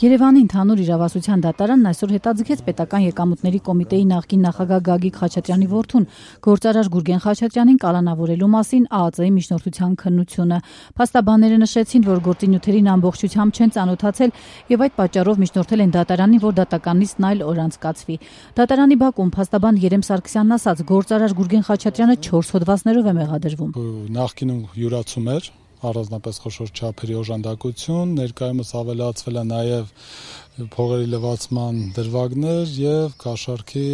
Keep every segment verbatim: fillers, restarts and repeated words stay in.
Երևանի ընդհանուր իրավասության դատարանն այսօր հետաձգեց պետական եկամուտների կոմիտեի նախկին նախագահ Գագիկ Խաչատրյանի որդուն գործարար Գուրգեն Խաչատրյանին կալանավորելու մասին Ա Ծ Ի միջնորդության քննությունը։ Փաստաբանները նշեցին, որ գործի նյութերին ամբողջությամբ չեն ծանոթացել եւ այդ պատճառով միջնորդել են դատարանին, որ դատականիցն այլ օր անցկացվի։ Դատարանի բակում փաստաբան Երեմ Սարգսյանն ասաց, գործարար Գուրգեն Խաչատրյանը չորս հոդվածներով է մեղադրվում։ Նախկինում յուրացում էր առանձնապես խոշոր չափերի օժանդակություն, ներկայումս ավելացվել է նաև փողերի լվացման դրվագներ եւ կաշառքի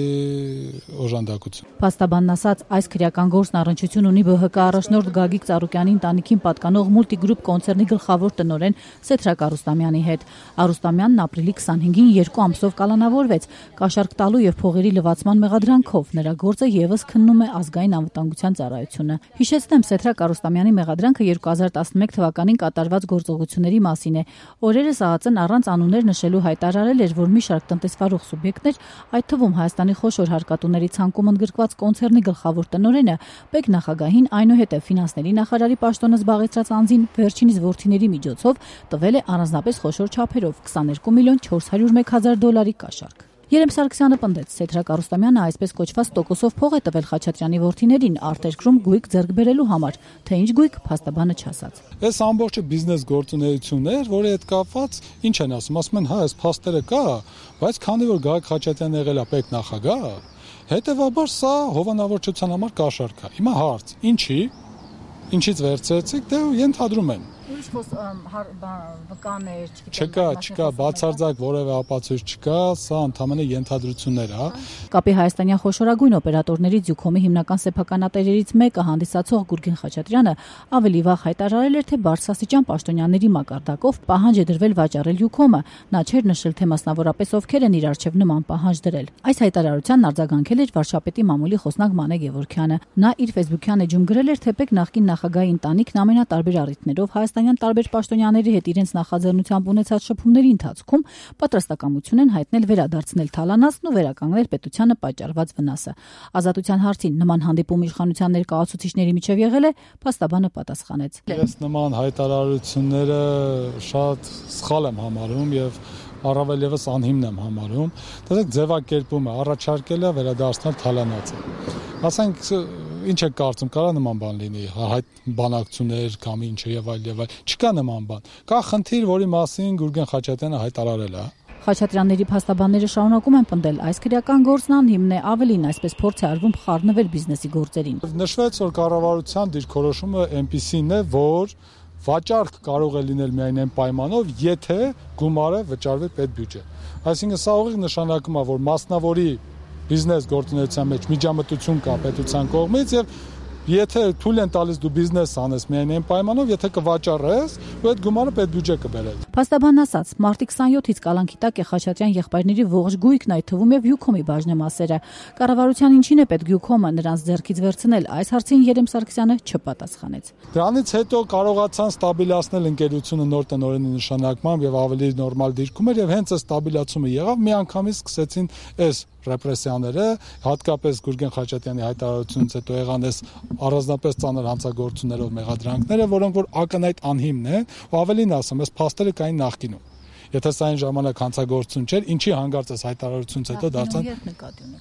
օժանդակություն։ Փաստաբանն ասաց, այս քրեական գործն առնչություն ունի Բ Հ Կ առաջնորդ Գագիկ Ծառուկյանի ընտանիքին պատկանող Մուլտիգրուպ կոնցեռնի գլխավոր տնօրեն Սեդրակ Արուստամյանի հետ։ Արուստամյանն ապրիլի քսանհինգին երկու ամսով կալանավորվեց կաշառք տալու եւ փողերի լվացման մեղադրանքով։ Նրա գործը եւս քննում է ազգային անվտանգության ծառայությունը։ Հիշեցնեմ, Սեդրակ Արուստամյանի մեղադրանքը երկու հազար տասնմեկ թվականին կատարված գործողությունների մասին է։ Օրերս Ա Ծ Ն առանց անուններ նշելու հայտարարել էր, որ մի շարք տնտեսվարող սուբյեկտներ, այդ թվում Հայաստանի խոշոր հարկատուների ցանկում ընդգրկված կոնցեռնի գլխավոր տնօրենը, Պեկ նախագահին, այնուհետև ֆինանսների նախարարի պաշտոնը զբաղեցրած անձին վերջինիս որդիների միջոցով տվել է առանձնապես խոշոր չափերով քսաներկու միլիոն չորս հարյուր մեկ հազար դոլարի կաշառք։ Երեմ Սարգսյանը պնդեց, Սեդրակ Արուստամյանը այսպես կոչված տոկոսով փող է տվել Խաչատրյանի որդիներին արտերկրում գույք ձեռք բերելու համար, թե ինչ գույք փաստաբանը չասաց։ Այս ամբողջը բիզնես գործունեությունն էր, որի հետ կապված ինչ են ասում, ասում են, հա, այս փաստերը կա, բայց քանի որ Գագիկ Խաչատրյանն եղել է Պեկ նախագահ, հետեւաբար սա հովանավորչության համար կաշառք է։ Հիմա հարց, ինչի, ինչից վերցրեցիք, դե ենթադրում են։ Ուրիշ վկաներ, չկա, չկա, բացարձակ որևէ ապացույց չկա, սա ընդհանրապես ենթադրություններ է։ Կապի հայաստանյան խոշորագույն օպերատորներից Յուքոմի հիմնական սեփականատերերից մեկը հանդիսացող Գուրգեն Խաչատրյանը ավելի վաղ հայտարարել էր, թե բարձրաստիճան պաշտոնյաների մակարդակով պահանջ է դրվել վաճառել Յուքոմը։ Նա չէր նշել, թե մասնավորապես ովքեր են իր արչև նման պահանջ դրել։ Այս հայտարարությանն արձագանքել էր վարչապետի մամուլի խոսնակ Մանե Գևորգյանը։ Նա իր ֆեյսբուքյան էջում գրել էր, թե Պեկ նախկին նախագահի ընտանիքն ամենատարբեր առիթներով Հայաստանյան տարբեր պաշտոնյաների հետ իրենց նախաձեռնությամբ ունեցած շփումների ընթացքում պատրաստակամություն են հայտնել վերադարձնել թալանացն ու վերականգնել պետությանը պատճառված վնասը։ Ազատության հարցին նման հանդիպում իշխանության ներկայացուցիչների միջև եղել է, փաստաբանը պատասխանեց։ Ես նման հայտարարությունները շատ սխալ եմ համարում եւ առավել եւս անհիմն եմ համարում։ Դրանք ձևակերպումը առաջարկել է վերադարձնել թալանացը։ Ասենք ինչ է կարծում, կարա նման բան լինի, հայտ բանակցություններ կամ ինչը եւ այլ եւ այլ։ Չկա նման բան։ Կա խնդիր, որի մասին Գուրգեն Խաչատրյանը հայտարարել է։ Խաչատրյանների փաստաբանները շարունակում են պնդել, այս քրեական գործն անհիմն է, ավելին այսպես փորձ է արվում խառնվել բիզնեսի գործերին։ Նշվեց, որ կառավարության դիրքորոշումը այնպիսին է, որ վաճառք կարող է լինել միայն այն պայմանով, եթե գումարը վճարվի պետբյուջե։ Այսինքն սա ուղիղ նշանակում է, որ մասնավորի բիզնես գործունեության մեջ միջամտություն կա պետության կողմից եւ եթե թույլ են տալիս դու բիզնես անես միայն այն պայմանով, եթե կվաճառես, ու այդ գումարը պետբյուջե կբերես։ Փաստաբանն ասաց, մարտի քսանյոթից կալանքի տակ է Խաչատրյան եղբայրների ողջ գույքն, այդ թվում եւ Յուքոմի բաժնեմասերը։ Կառավարության ինչին է պետք Յուքոմը նրանց ձեռքից վերցնել, այս հարցին Երեմ Սարգսյանը չպատասխանեց։ Դրանից հետո կարողացան ստաբիլացնել ընկերությունը նոր տնօրենի նշանակմամբ եւ ավելի նորմալ դիրքում էր եւ հենց այս ստաբիլացումը եղավ, միանգամից սկսեցին այս ռեպրեսիաները, հատկապես Գուրգեն Խաչատրյանի հայտարարությունից հետո եղան այս առանձնապես ծանր հանցագործություններով մեղադրանքները, որոնք որ ակնհայտ անհիմն են, ու ավելին ասեմ, այս փաստերը կային նախկինում։ Եթե սա այն ժամանակ հանցագործություն չէր, ինչի հանգարց այս հայտարարությունից հետո դարձան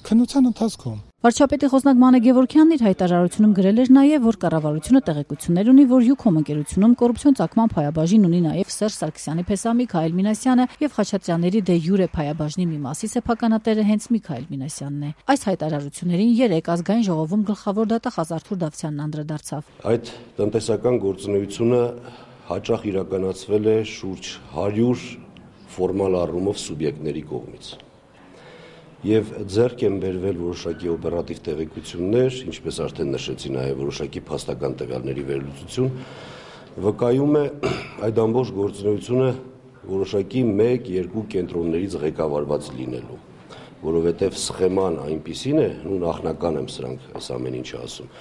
քննության ընթացքում։ Վարչապետի խոսնակ Մանե Գևորգյանն իր հայտարարությունում գրել էր նաև, որ կառավարությունը տեղեկություններ ունի, որ Յուքոմ ընկերությունում կոռուպցիոն ծագման փայաբաժին ունի նաև Սերժ Սարգսյանի փեսա Միքայել Մինասյանը եւ Խաչատրյանների դե յուրե փայաբաժնի մի մասի սեփականատերը հենց Միքայել Մինասյանն է։ Այս հայտարարություններին երեք ազգային ժողովում գլխավոր դատախազ Արթուր Դավթյանն անդրադարձավ։ Այդ տնտեսական գործունեությունը հաճախ իրականացվել է շուրջ հարյուր ֆորմալ առումով սուբյեկտների կողմից։ Եվ ձեռք են բերվել որոշակի օպերատիվ տեղեկություններ, ինչպես արդեն նշեցի, նաև որոշակի փաստական տվյալների վերլուծություն, վկայում է այդ ամբողջ գործունեությունը որոշակի մեկ-երկու կենտրոններից ղեկավարված լինելու, որովհետև սխեման այնպիսին է, ու նախնական եմ սրանք այս ամեն ինչը ասում,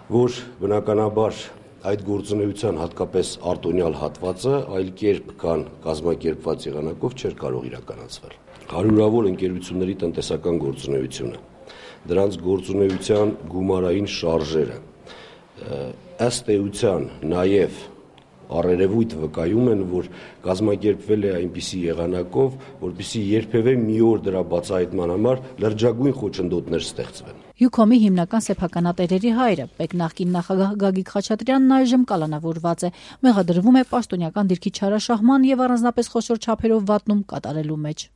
որ բնականաբար այդ գործունեության հատկապես արտոնյալ հատվածը այլ կերպ կան կազմակերպված եղանակով չէր կարող իրականացվել։ Հարյուրավոր ընկերությունների տնտեսական գործունեությունը, դրանց գործունեության գումարային շարժերը, ըստ էության նաև առերևույթ վկայում են, որ կազմակերպվել է այնպիսի եղանակով, որպեսզի երբևէ մի օր դրա բացահայտման համար լրջագույն խոչընդոտներ ստեղծվեն։ Յուքոմի հիմնական սեփականատերերի հայրը, Պեկ նախկին նախագահ Գագիկ Խաչատրյանն այժմ կալանավորված է, մեղադրվում է պաշտոնյական դիրքի չարաշահման եւ առանձնապես խոշոր չափերով վատնում կատարելու մեջ։